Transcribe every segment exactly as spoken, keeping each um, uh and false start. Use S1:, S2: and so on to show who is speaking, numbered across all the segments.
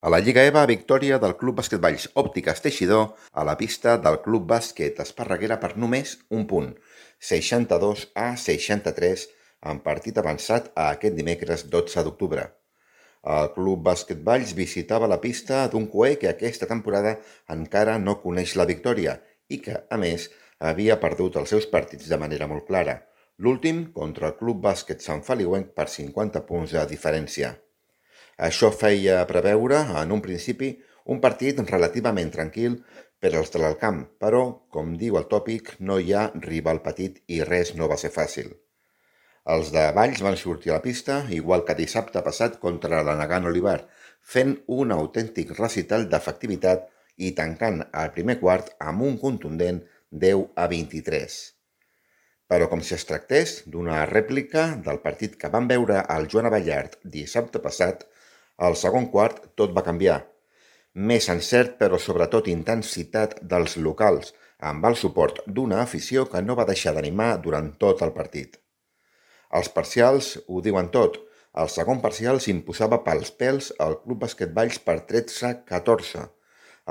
S1: A la Lliga EVA, victòria del Club Bàsquet Valls Òptiques Teixidor a la pista del Club Bàsquet Esparreguera per només un punt, seixanta-dos a seixanta-tres, en partit avançat a aquest dimecres dotze d'octubre. El Club Bàsquet Valls visitava la pista d'un coer que aquesta temporada encara no coneix la victòria i que, a més, havia perdut els seus partits de manera molt clara. L'últim contra el Club Bàsquet Sant Feliuenc per cinquanta punts de diferència. Això feia preveure, en un principi, un partit relativament tranquil per als de l'Alcamp, però, com diu el tòpic, no hi ha rival petit i res no va ser fàcil. Els de Valls van sortir a la pista, igual que dissabte passat contra la Nagant Olivar, fent un autèntic recital d'efectivitat i tancant el primer quart amb un contundent deu a vint-i-tres. Però com si es tractés d'una rèplica del partit que van veure al Joan Abellart dissabte passat, al segon quart tot va canviar. Més encert, però sobretot intensitat dels locals, amb el suport d'una afició que no va deixar d'animar durant tot el partit. Els parcials ho diuen tot. El segon parcial s'imposava pels pèls al Club Bàsquet Valls per tretze a catorze.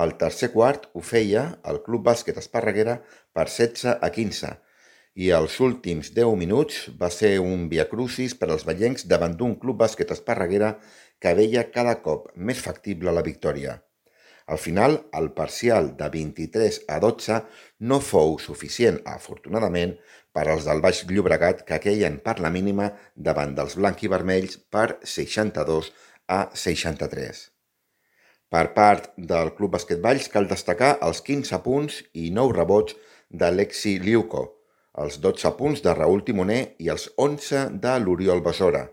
S1: El tercer quart ho feia el Club Bàsquet Esparreguera per setze a quinze. I els últims deu minuts va ser un viacrucis per als vallencs davant d'un Club Bàsquet Esparreguera que veia cada cop més factible la victòria. Al final, el parcial de vint-i-tres a dotze no fou suficient, afortunadament, per als del Baix Llobregat que queien per la mínima davant dels blanc-i-vermells per seixanta-dos a seixanta-tres. Per part del Club Bàsquet Valls cal destacar els quinze punts i nou rebots d'Alexi Liuco, els dotze punts de Raül Timoner i els onze de l'Oriol Besora.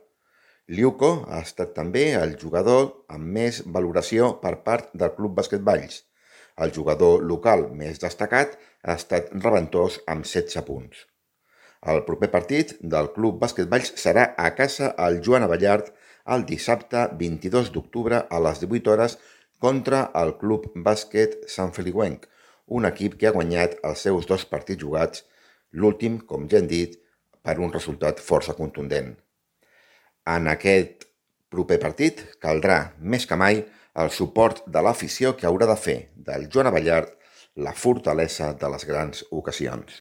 S1: Liuco ha estat també el jugador amb més valoració per part del Club Bàsquet Valls. El jugador local més destacat ha estat Reventós amb setze punts. El proper partit del Club Bàsquet Valls serà a casa al Joan Abellart el dissabte vint-i-dos d'octubre a les divuit hores contra el Club Bàsquet Sant Feliuenc, un equip que ha guanyat els seus dos partits jugats, l'últim, com ja hem dit, per un resultat força contundent. En aquest proper partit caldrà, més que mai, el suport de l'afició que haurà de fer del Joan Abellart la fortalesa de les grans ocasions.